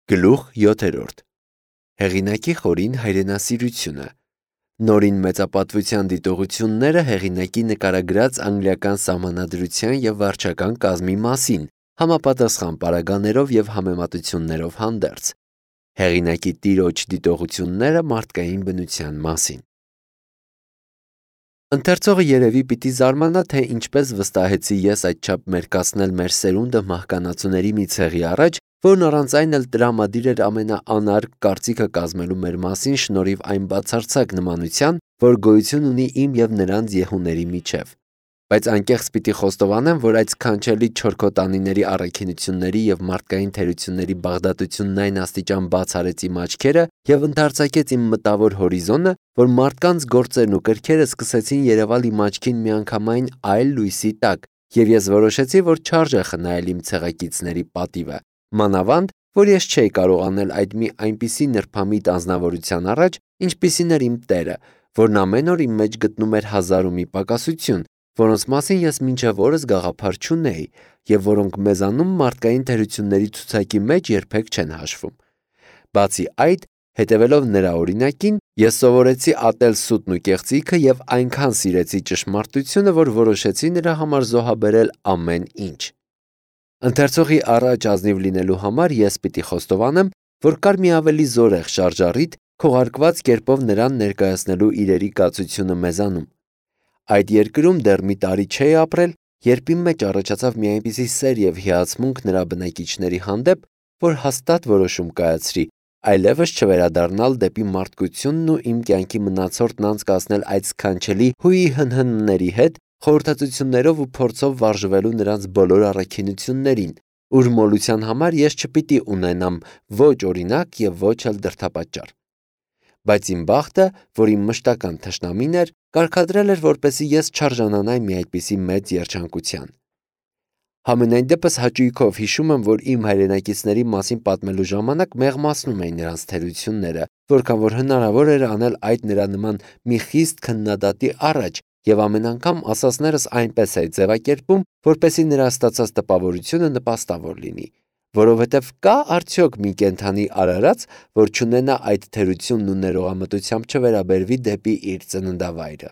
Գլուխ 7. Հեղինակի խորին հայրենասիրությունը։ Նորին մեծապատվության դիտողությունները հեղինակի նկարագրած անգլիական սահմանադրության և վարչական կազմի մասին, համապատասխան պարագաներով և համեմատություններով հանդերձ։ Հեղինակի տիրոջ դիտողությունները մարդկային բնության մասին։ Ընթերցողը երևի պիտի զարմանա, թե ինչպես վստահեցի ես այդչափ մերկացնել մեր սերունդը մահկանացուների մի ցեղի առաջ, որն առանց այն էլ տրամադիր էր ամենաանարգ կարծիքը կազմելու մեր մասին շնորհիվ այն բացարձակ նմանության, որ գոյություն ունի իմ և նրանց եհուների միջև։ Բայց անկեղծ պիտի խոստովանեմ, որ այդ սքանչելի չորքոտանիների առաքինությունների և մարդկային թերությունների բաղդատությունն այն աստիճան բաց արեց իմ աչքերը և ընդարձակեց իմ մտավոր հորիզոնը, որ մարդկանց գործերն ու կրքերը սկսեցին երևալ իմ աչքին միանգամայն այլ լույսի տակ, և ես որոշեցի, որ չարժե խնայել իմ ցեղակիցների պատիվը, մանավանդ, որ ես չէի կարող անել այդ մի այնպիսի նրբամիտ անձնավորության առաջ, ինչպիսին էր իմ տերը, որն ամեն օր իմ մեջ գտնում էր հազար ու մի պակասություն, որոնց մասին ես մինչև օրս գաղափար չունեի և որոնք մեզանում մարդկային թերությունների ցուցակի մեջ երբեք չեն հաշվում։ Բացի այդ, հետևելով նրա օրինակին, ես սովորեցի ատել սուտն ու կեղծիքը և այնքան սիրեցի ճշմարտությունը, որ որոշեցի նրա համար զոհաբերել ամեն ինչ։ Ընթերցողի առաջ ազնիվ լինելու համար ես պիտի խոստովանեմ, որ կար մի ավելի զորեղ շարժառիթ քողարկված կերպով նրան ներկայացնելու իրերի կացությունը մեզանում։ Այդ երկրում դեռ մի տարի չէի ապրել, երբ իմ մեջ առաջացավ մի այնպիսի սեր և հիացմունք նրա բնակիչների հանդեպ, որ հաստատ որոշում կայացրի այլևս չվերադառնալ դեպի մարդկությունն ու իմ կյանքի մնացորդն անցկացնել այդ սքանչելի հուի-հնհնների հետ, խորհրդածություններով ու փորձով վարժվելու նրանց բոլոր առաքինություններին, ուր մոլության համար ես չպիտի ունենամ ոչ օրինակ և ոչ էլ դրդապատճառ։ Բայց իմ բախտը, որ իմ մշտական թշնամին էր, կարգադրել էր, որպեսզի ես չարժանանայի մի այդպիսի մեծ երջանկության։ Համենայն դեպս հաճույքով հիշում եմ, որ իմ հայրենակիցների մասին պատմելու ժամանակ մեղմացնում էի նրանց թերությունները, որքան որ հնարավոր էր անել այդ նրա նման մի խիստ քննադատի առաջ, և ամեն անգամ ասածներս այնպես էի ձևակերպում, որպեսզի նրա ստացած տպավորությունը նպաստավոր լինի, որովհետև կա արդյոք մի կենդանի արարած, որ չունենա այդ թերությունն ու ներողամտությամբ չվերաբերվի դեպի իր ծննդավայրը։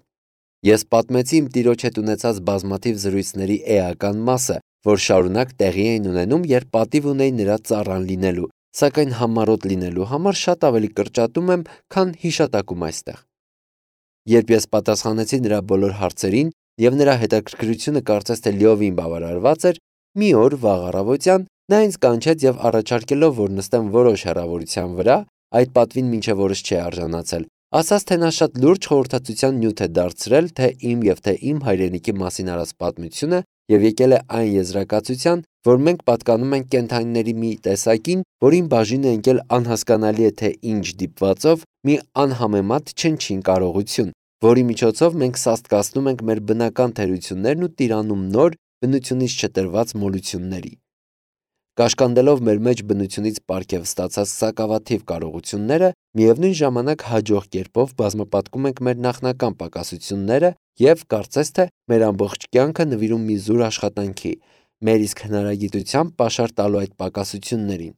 Ես պատմեցի իմ տիրոջ հետ ունեցած բազմաթիվ զրույցների էական մասը, որ շարունակ տեղի էին ունենում, երբ պատիվ ունեի նրա ծառան լինելու, սակայն համառոտ լինելու համար շատ ավելի կրճատում եմ, քան հիշատակում այստեղ։ Երբ ես պատասխանեցի նրա բոլոր հարցերին, և նրա հետաքրքրությունը կարծես թե լիովին բավարարված էր, մի օր վաղ առավոտյան նա ինձ կանչեց և առաջարկելով, որ նստեմ որոշ հեռավորության վրա, այդ պատվին մինչև օրս չէի արժանացել, ասաց, թե նա շատ լուրջ խորհրդածության նյութ է դարձրել թե իմ հայրենիքի մասին արած պատմությունը և եկել է այն եզրակացության, որ մենք պատկանում ենք կենդանիների մի տեսակին, որին բաժին է ընկել անհասկանալի է թե ինչ դիպվածով մի անհամեմատ չնչին կարողություն, որի միջոցով մենք սաստկացնում ենք մեր բնական թերություններն ու տիրանում նոր, բնությունից չտրված մոլությունների։ Կաշկանդելով մեր մեջ բնությունից պարգև ստացած սակավաթիվ կարողությունները, միևնույն ժամանակ հաջող կերպով բազմապատկում ենք մեր նախնական պակասությունները և, կարծես թե, մեր ամբողջ կյանքը նվիրում մի զուր աշխատանքի, մեր իսկ հնարագիտությամբ պաշար տալու այդ պակասություններին։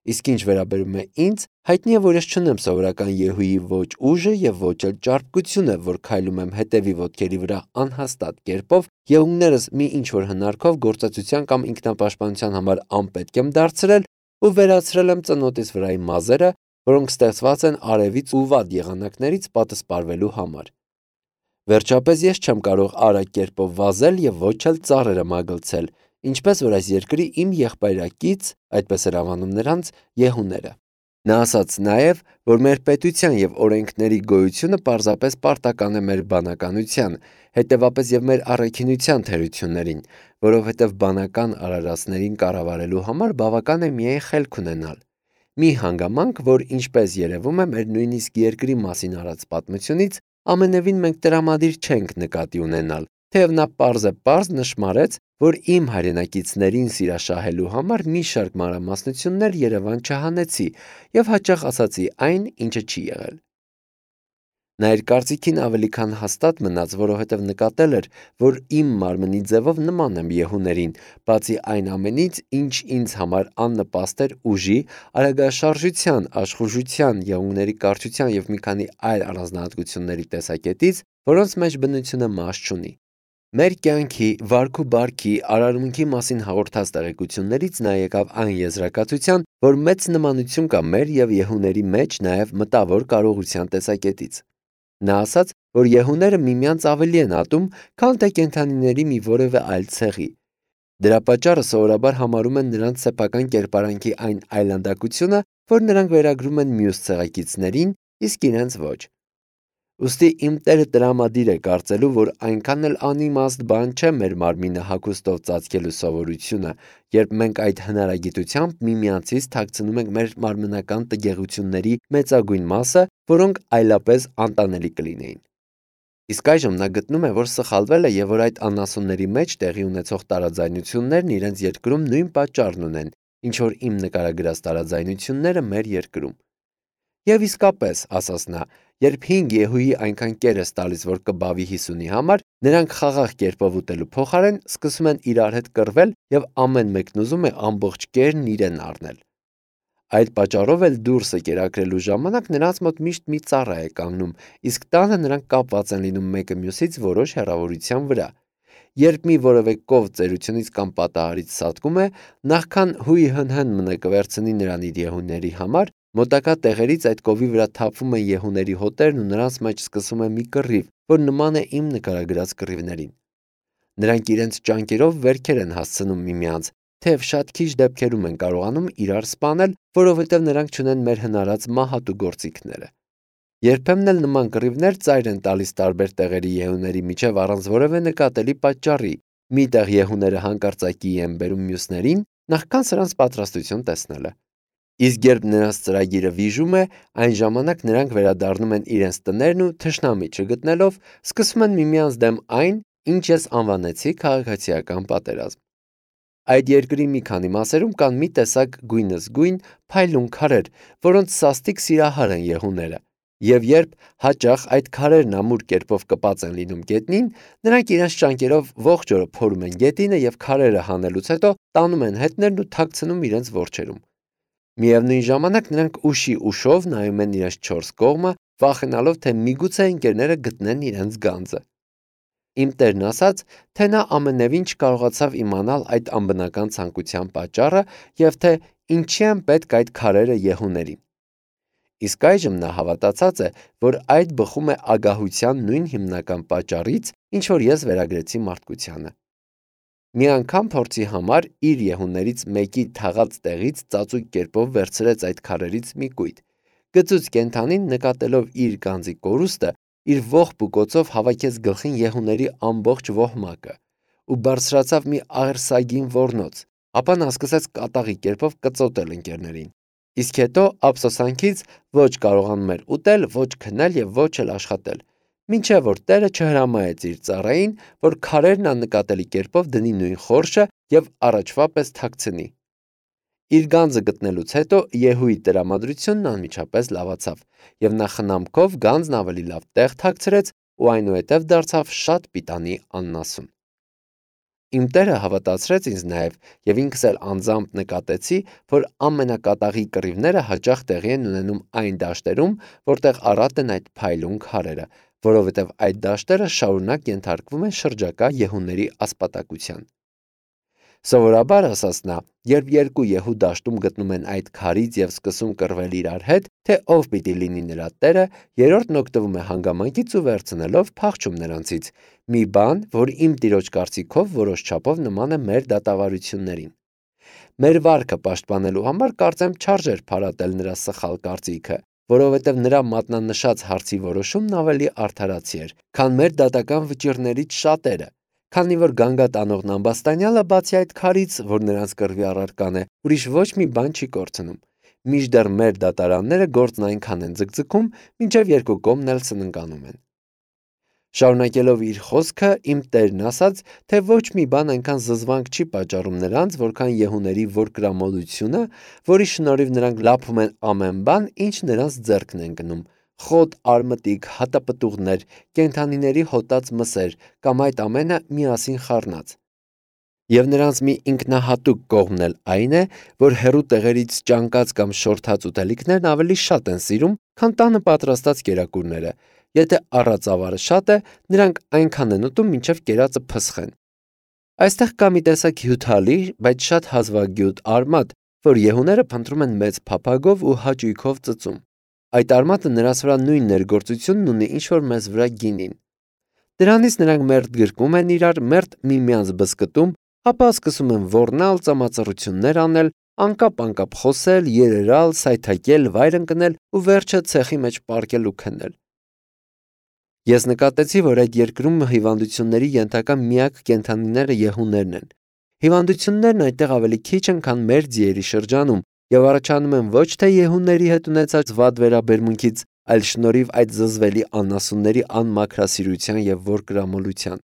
Իսկ ինչ վերաբերում է ինձ, հայտնի է, որ ես չունեմ սովորական եհուի ոչ ուժը և ոչ էլ ճարպկությունը, որ քայլում եմ հետևի ոտքերի վրա անհաստատ կերպով, եղունգներս մի ինչ-որ հնարքով գործածության կամ ինքնապաշտպանության համար անպետք եմ դարձրել ու վերացրել եմ ծնոտիս վրայի մազերը, որոնք ստեղծված են արևից ու վատ եղանակներից պատսպարվելու համար։ Վերջապես ես չեմ կարող արագ կերպով վազել և ոչ էլ ծառերը մագլցել, ինչպես որ այս երկրի իմ եղբայրակից, այդպես էր անվանում նրանց, եհուները։ Նա ասաց նաև, որ մեր պետության և օրենքների գոյությունը պարզապես պարտական է մեր բանականության, հետևապես և մեր առաքինության թերություններին, որովհետև բանական արարածներին կառավարելու համար բավական է միայն խելք ունենալ։ Մի հանգամանք, որ ինչպես երևում է մեր նույնիսկ երկրի մասին արած պատմությունից, ամենևին մենք տրամադիր չենք նկատի ունենալ, թեև նա պարզեպարզ նշմարեց, որ իմ հայրենակիցներին սիրաշահելու համար մի շարք մանրամասնություններ Երևան չհանեցի և հաճախ ասացի այն, ինչը չի եղել։ Նա իր կարծիքին ավելի քան հաստատ մնաց, որովհետև նկատել էր, որ իմ մարմնի ձևով նման եմ յեհուներին, բացի այն ամենից, ինչ ինձ համար աննպաստ էր ուժի, արագաշարժության, աշխուժության, եղունգների կարճության և մի քանի այլ առանձնահատկությունների տեսակետից, որոնց մեջ բնությունը մաս չունի։ Մեր կյանքի, վարք ու բարքի, արարմունքի մասին հաղորդած տեղեկություններից նա եկավ այն եզրակացության, որ մեծ նմանություն կա մեր և յեհուների մեջ նաև մտավոր կարողության տեսակետից։ Նա ասաց, որ յեհուները միմյանց ավելի են ատում, քան թե կենդանիների մի որևէ այլ ցեղի։ Դրա պատճառը սովորաբար համարում են նրանց սեփական կերպարանքի այն այլանդակությունը, որ նրանք վերագրում են մյուս ցեղակիցներին, իսկ իրենց ոչ։ Ուստի իմ Տերը տրամադիր է կարծելու, որ այնքան էլ անիմաստ բան չէ մեր մարմինը հագուստով ծածկելու սովորությունը, երբ մենք այդ հնարագիտությամբ միմյանցից թաքցնում ենք մեր մարմնական տգեղությունների մեծագույն մասը, որոնք այլապես անտանելի կլինեին։ Իսկ այժմ նա գտնում է, որ սխալվել է և որ այդ անասունների մեջ տեղի ունեցող տարաձայնություններն իրենց երկրում նույն պատճառն ունեն, ինչ որ իմ նկարագրած տարաձայնությունները մեր երկրում։ Եվ իսկապես, ասաց նա, երբ 5 յեհուի այնքան կեր ես տալիս, որ կբավի 50-ի համար, նրանք խաղաղ կերպով ուտելու փոխարեն սկսում են իրար հետ կռվել և ամեն մեկն ուզում է ամբողջ կերն իրեն առնել։ Այդ պատճառով էլ դուրսը կերակրելու ժամանակ նրանց մոտ միշտ մի ծառա է կանգնում, իսկ տանը նրանք կապված են լինում մեկը մյուսից որոշ հեռավորության վրա։ Երբ մի որևէ կով ծերությունից կամ պատահարից սատկում է, նախքան հույ հնհն մնը կվերցնի նրան իր յեհուների համար, մոտակա տեղերից այդ կովի վրա թափվում են յեհուների հոտերն ու նրանց մեջ սկսվում է մի կռիվ, որ նման է իմ նկարագրած կռիվներին։ Նրանք իրենց ճանկերով վերքեր են հասցնում միմյանց, թեև շատ քիչ դեպքերում են կարողանում իրար սպանել, որովհետև նրանք չունեն մեր հնարած մահատու գործիքները։ Երբեմն էլ նման կռիվներ ծայր են տալիս տարբեր տեղերի յեհուների միջև առանց որևէ նկատելի պատճառի։ Մի տեղ յեհուները հանկարծակիի են բերում մյուսներին, նախքան սրանց պատրաստություն տեսնելը։ Իսկ երբ նրանց ծրագիրը վիժում է, այն ժամանակ նրանք վերադառնում են իրենց տներն ու թշնամի չգտնելով, սկսում են միմյանց դեմ այն, ինչ ես անվանեցի քաղաքացիական պատերազմ։ Այդ երկրի մի քանի մասերում կան մի տեսակ գույնզգույն փայլուն քարեր, որոնց սաստիկ սիրահար են յեհուները։ Եվ երբ հաճախ այդ քարերն ամուր կերպով կպած են լինում գետնին, նրանք իրենց ճանկերով ողջ օրը փորում են գետինը և քարերը հանելուց հետո տանում են հետներն ու թաքցնում իրենց որջերում։ Միևնույն ժամանակ նրանք ուշի ուշով նայում են իրենց 4 կողմը, վախենալով, թե միգուցե ընկերները գտնեն իրենց գանձը։ Իմ Տերն ասաց, թե նա ամենևին չկարողացավ իմանալ այդ անբնական ցանկության պատճառը և թե ինչի են պետք այդ քարերը յեհուներին։ Իսկ այժմ նա հավատացած է, որ այդ բխում է ագահության նույն հիմնական պատճառից, ինչ որ ես վերագրեցի մարդկությանը։ Մի անգամ փորձի համար իր յեհուներից մեկի թաղած տեղից ծածուկ կերպով վերցրեց այդ քարերից մի կույտ։ Գծուց կենդանին նկատելով իր գանձի կորուստը, իր ողբ ու կոցով հավաքեց գլխին յեհուների ամբողջ ոհմակը ու բարձրացավ մի աղերսագին ոռնոց, ապա նա սկսեց կատաղի կերպով կծոտել ընկերներին։ Իսկ հետո ափսոսանքից ոչ կարողանում էր ուտել, ոչ քնել և ոչ էլ աշխատել, մինչև որ Տերը չհրամայեց իր ծառային, որ քարերն աննկատելի կերպով դնի նույն խորշը և առաջվա պես թաքցնի։ Իր գանձը գտնելուց հետո յեհուի տրամադրությունն անմիջապես լավացավ, և նա խնամքով գանձն ավելի լավ տեղ թաքցրեց ու այնուհետև դարձավ շատ պիտանի աննասուն։ Իմ Տերը հավատացրեց ինձ նաև, և ինքս էլ անձամբ նկատեցի, որ ամենակատաղի կռիվները հաճախ տեղի են ունենում այն դաշտերում, որտեղ առատ են այդ փայլուն քարերը, որովհետև այդ դաշտերը շարունակ ենթարկվում են շրջակա յեհուների ասպատակության։ Սովորաբար, ասաց նա, երբ երկու յեհու դաշտում գտնում են այդ քարից և սկսում կռվել իրար հետ, թե ով պիտի լինի նրա տերը, երրորդն օգտվում է հանգամանքից ու վերցնելով փախչում նրանցից, մի բան, որ իմ տիրոջ կարծիքով որոշ չափով նման է մեր դատավարություններին։ Մեր վարքը պաշտպանելու համար կարծեմ չարժեր փարատել նրա սխալ կարծիքը, որովհետև նրա մատնանշած հարցի որոշումն ավելի արդարացի էր, քան մեր դատական վճիռներից շատերը, քանի որ գանգատ անողն ամբաստանյալը բացի այդ քարից, որ նրանց կռվի առարկան է, ուրիշ ոչ մի բան չի կորցնում։ Մինչդեռ մեր դատարանները գործն այնքան են ձգձգում, մինչև երկու կողմն էլ սննկանում են։ Շարունակելով իր խոսքը, իմ Տերն ասաց, թե ոչ մի բան այնքան զզվանք չի պատճառում նրանց, որքան յեհուների որկրամոլությունը, որի շնորհիվ նրանք լափում են ամեն բան, ինչ նրանց ձեռքն է ընկնում, խոտ, արմտիկ, հատապտուղներ, կենդանիների հոտած մսեր կամ այդ ամենը միասին խառնած։ Եվ նրանց մի ինքնահատուկ կողմն էլ այն է, որ հեռու տեղերից ճանկած կամ շորթած ուտելիքներն ավելի շատ են սիրում, քան տանը պատրաստած կերակուրները։ Եթե առածավարը շատ է, նրանք այնքան են ուտում, մինչև կերածը փսխեն։ Այստեղ կա մի տեսակ հյութալի, բայց շատ հազվագյուտ արմատ, որ եհուները փնտրում են մեծ փափագով ու հաճույքով ծծում։ Այդ արմատը նրանց վրա նույն ներգործությունն ունի, ինչ որ մեզ վրա գինին։ Դրանից նրանք մերթ գրկում են իրար, մերթ միմյանց բզկտում, ապա սկսում են ոռնալ, ծամածռություններ անել, անկապ խոսել, երերալ, սայթաքել, վայր ընկնել ու վերջը ցեխի մեջ պառկել ու քնել։ Ես նկատեցի, որ այդ երկրում հիվանդությունների ենթակա միակ կենդանիները եհուներն են։ Հիվանդություններն այնտեղ ավելի քիչ են, քան մեր ձիերի շրջանում, եւ առաջանում են ոչ թե եհուների հետ ունեցած վատ վերաբերմունքից, այլ շնորհիվ այդ զզվելի անասունների անմաքրասիրության եւ ворկրամոլության։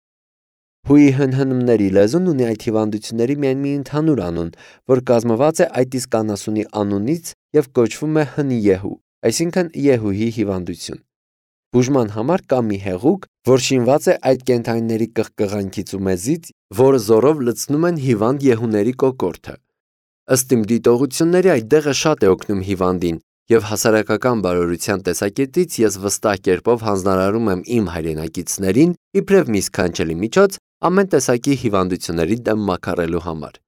Հույի հնհնումների լեզուն ունի այդ հիվանդությունների միայն մի ընդհանուր անուն, որ կազմված է այդ իսկ անասունի անունից եւ կոչվում է հնիեհու, այսինքն Եհուհի հիվանդություն։ Բուժման համար կա մի հեղուկ, որ շինված է այդ կենդանիների կղկղանքից ու մեզից, որը զորով լցնում են հիվանդ եհուների կոկորդը։ Ըստ իմ դիտողությունների այդ դեղը շատ է օգնում հիվանդին, եւ հասարակական բարօրության տեսակետից ես վստահ կերպով հանձնարարում եմ իմ հայրենակիցներին իբրև մի սքանչելի միջոց ամեն տեսակի հիվանդությունների դեմ մաքարելու համար։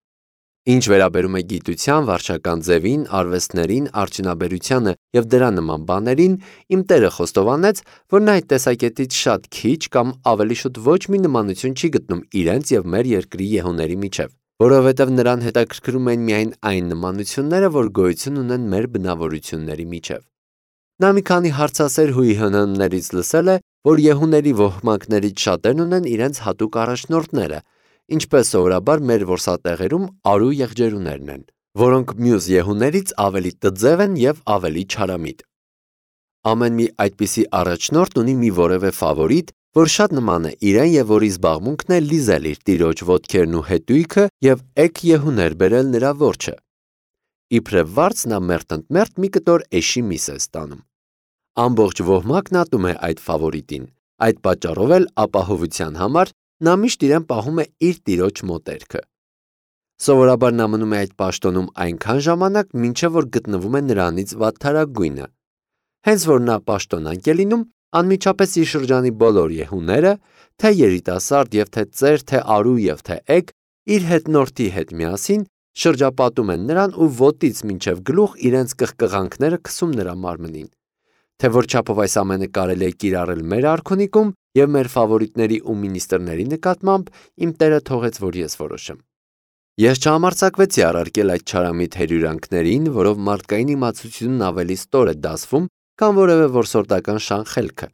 Ինչ վերաբերում է գիտության, վարչական ձևին, արվեստներին, արդյունաբերությանը եւ դրա նման բաներին, իմ տերը խոստովանեց, որ նա այդ տեսակետից շատ քիչ կամ ավելի շուտ ոչ մի նմանություն չի գտնում իրենց եւ մեր երկրի եհուների միջեւ, որովհետեւ նրան հետաքրքրում են միայն այն նմանությունները, որ գոյություն ունեն մեր բնավորությունների միջեւ։ Նա մի քանի հարցասեր հույի հնհններից լսել է, որ եհուների ոհմակներից շատերն ունեն իրենց հատուկ առաջնորդները, ինչպես սովորաբար մեր որսատեղերում արու եղջերուներն են, որոնք մյուս եհուներից ավելի տձև են եւ ավելի չարամիտ։ Ամեն մի այդպիսի առաջնորդ ունի մի որևէ ֆավորիտ, որ շատ նման է իրեն եւ որի զբաղմունքն է լիզել իր տիրոջ ոտքերն ու հետույքը եւ էգ եհուներ բերել նրա որջը։ Իբրև վարձ նա մերթ մի կտոր էշի միս է ստանում։ Ամբողջ ոհմակն ատում է այդ ֆավորիտին, այդ պատճառով էլ ապահովության համար նա միշտ իրեն պահում է իր տիրոջ մոտերքը։ Սովորաբար նա մնում է այդ պաշտոնում այնքան ժամանակ, մինչև որ գտնվում է նրանից վատթարագույնը։ Հենց որ նա պաշտոնանկ է լինում, անմիջապես իր շրջանի բոլոր եհուները, թե երիտասարդ եւ թե ծեր, թե արու եւ թե էգ, իր հետնորդի հետ միասին շրջապատում են նրան ու ոտից մինչև գլուխ իրենց կղկղանքները քսում նրա մարմնին։ Թե որ չափով այս ամենը կարելի է կիրառել մեր արքունիքում եւ մեր ֆավորիտների ու մինիստրների նկատմամբ, իմ տերը թողեց, որ ես որոշեմ։ Ես չհամարձակվեցի առարկել այդ չարամիտ հերյուրանքներին, որով մարդկային իմացությունն ավելի ստոր է դասվում, քան որևէ որսորդական շան խելքը։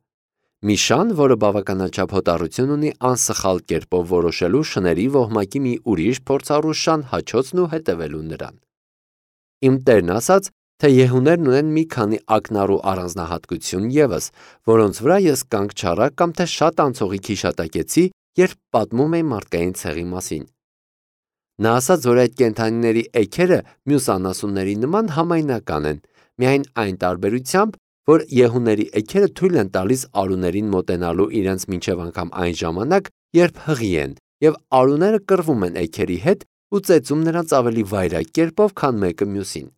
Մի շան, որը բավականաչափ հոտառություն ունի անսխալ կերպով որոշելու շների ոհմակի մի ուրիշ փորձառու շան հաչոցն ու հետևելու նրան։ Իմ տերն ասաց, թե եհուներն ունեն մի քանի ակնառու առանձնահատկություն ևս, որոնց վրա ես կանգ չառա կամ թե շատ անցողիկ հիշատակեցի, երբ պատմում էի մարդկային ցեղի մասին։ Նա ասաց, որ այդ կենդանիների էգերը մյուս անասունների նման համայնական են, միայն այն տարբերությամբ, որ եհուների էգերը թույլ են տալիս արուներին մոտենալու իրենց մինչև անգամ այն ժամանակ, երբ հղի են, եւ արուները կռվում են էգերի հետ ու ծեծում նրանց ավելի վայրագ կերպով, քան մեկը մյուսին։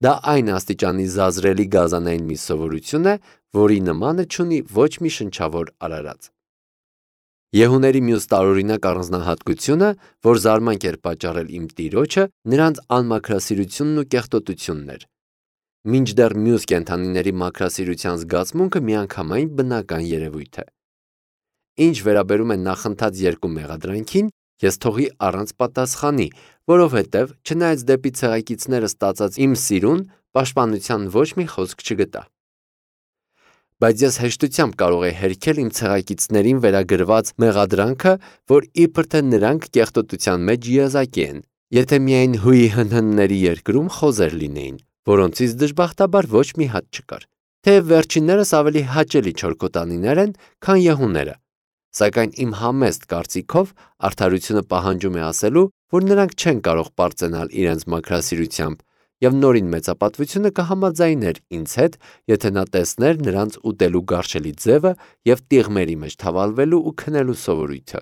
Դա այն աստիճանի զազրելի գազանային մի սովորություն է, որի նմանը չունի ոչ մի շնչավոր արարած։ Եհուների մյուս տարօրինակ առանձնահատկությունը, որ զարմանք էր պատճառել իմ տիրոջը, նրանց անմաքրասիրությունն ու կեղտոտությունն էր։ Մինչդեռ մյուս կենդանիների մաքրասիրության զգացմունքը միանգամայն բնական երևույթ է։ Ինչ վերաբերում է նախընթաց երկու մեղադրանքին, ես թողի առանց պատասխանի, որովհետև չնայած դեպի ցեղակիցները ստացած իմ սիրուն, պաշտպանության ոչ մի խոսք չգտա։ Բայց ես հեշտությամբ կարող եի հերքել իմ ցեղակիցներին վերագրված մեղադրանքը, որ իբր թե նրանք կեղտոտության մեջ եզակի են, եթե միայն հույի հնհնների երկրում խոզեր լինեին, որոնցից դժբախտաբար ոչ մի հատ չկար։ Թեև վերջիններս ավելի հաճելի չորքոտանիներ են, քան եհուները, սակայն իմ համեստ կարծիքով արդարությունը պահանջում է ասելու, որ նրանք չեն կարող պարծենալ իրենց մաքրասիրությամբ եւ նորին մեծապատվությունը կհամաձայներ ինձ հետ, եթե նա տեսներ նրանց ուտելու գարշելի ձևը եւ տիղմերի մեջ թավալվելու ու քնելու սովորույթը։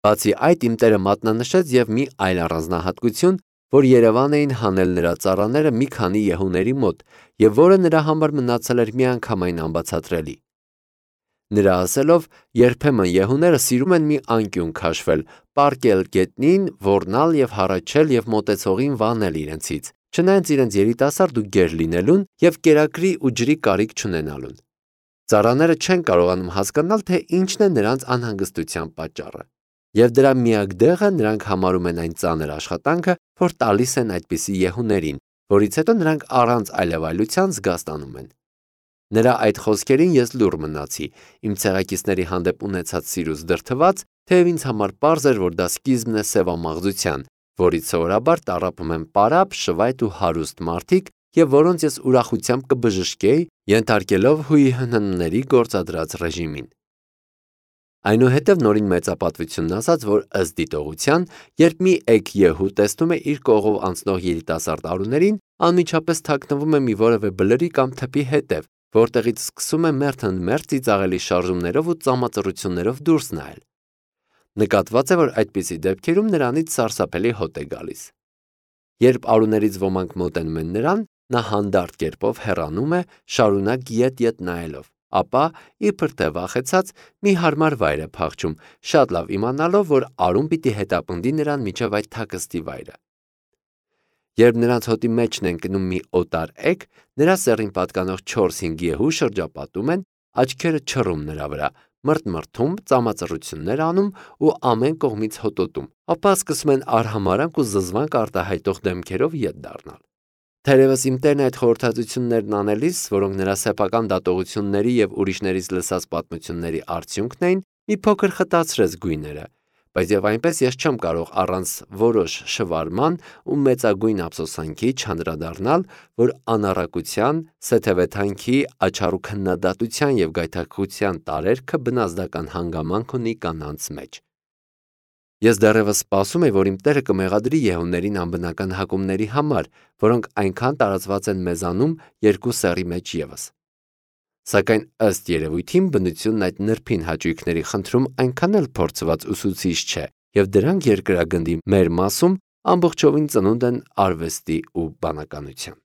Բացի այդ, իմ տերը մատնանշեց եւ մի այլ առանձնահատկություն, որ Երևան էին հանել նրա ծառաները մի քանի յեհուների մոտ եւ որը նրա համար մնացել էր միանգամայն անբացատրելի։ Նրա ասելով, երբեմն յեհուները սիրում են մի անկյուն քաշվել, պառկել գետնին, ոռնալ եւ հառաչել եւ մոտեցողին վանել իրենցից, չնայած իրենց երիտասարդ ու գեր լինելուն եւ կերակրի ու ջրի կարիք չունենալուն։ Ծառաները չեն կարողանում հասկանալ, թե ինչն է նրանց անհանգստության պատճառը։ Եվ դրա միակ դեղը նրանք համարում են այն ծանր աշխատանքը, որ տալիս են այդպիսի յեհուներին, որից հետո նրանք առանց այլևայլության զգաստանում են։ Նրա այդ խոսքերին ես լուռ մնացի, իմ ցեղակիցների հանդեպ ունեցած սիրուց դրդված, թեև ինձ համար պարզ էր, որ դա սկիզբն է սևամաղձության, որից սովորաբար տառապում են պարապ, շվայտ ու հարուստ մարդիկ եւ որոնց ես ուրախությամբ կբժշկեի, ենթարկելով ՀՀՆ-ների գործադրած ռեժիմին։ Այնուհետև նորին մեծապատվությունն ասաց, որ ըստ դիտողության, երբ մի էգ յեհու տեսնում է իր կողով անցնող երիտասարդ արուներին, անմիջապես թաքնվում է մի որևէ բլրի կամ թփի հետև, որտեղից սկսում է մերթ ծիծաղելի շարժումներով ու ծամածռություններով դուրս նայել։ Նկատված է, որ այդպիսի դեպքերում նրանից սարսափելի հոտ է գալիս։ Երբ արուներից ոմանք մոտենում են նրան, նա հանդարտ կերպով հեռանում է, շարունակ ետ նայելով, ապա, իբր թե վախեցած, մի հարմար վայր է փախչում, շատ լավ իմանալով, որ արուն պիտի հետապնդի նրան մինչև այդ թաքստի վայրը։ Երբ նրանց հոտի մեջն են կնում մի օտար էգ, նրա սեռին պատկանող 4-5 յեհու շրջապատում են, աչքերը չռում նրա վրա, մրթմրթում, ծամածռություններ անում ու ամեն կողմից հոտոտում, ապա սկսում են արհամարհանք ու զզվանք արտահայտող դեմքերով ետ դառնալ։ Թերևս իմ տերն այդ խորհրդածություններն անելիս, որոնք նրա սեփական դատողությունների եւ ուրիշներից լսած պատմությունների արդյունքն էին, մի փոքր խտացրեց գույները, բայց եւ այնպես ես չեմ կարող առանց որոշ շվարման ու մեծագույն ափսոսանքի չանդրադառնալ, որ անառակության, սեթևեթանքի, աչառու քննադատության եւ գայթակղության տարերքը բնազդական հանգամանք ունի կանանց մեջ։ Ես դեռևս սպասում եմ, որ իմ տերը կմեղադրի յեհուներին անբնական հակումների համար, որոնք այնքան տարածված են մեզանում երկու սեռի մեջ ևս։ Սակայն ըստ երևույթին բնությունն այդ նրբին հաճույքների խնդրում այնքան էլ փորձված ուսուցիչ չէ, եւ դրանք երկրագնդի մեր մասում ամբողջովին ծնունդ են արվեստի ու բանականության։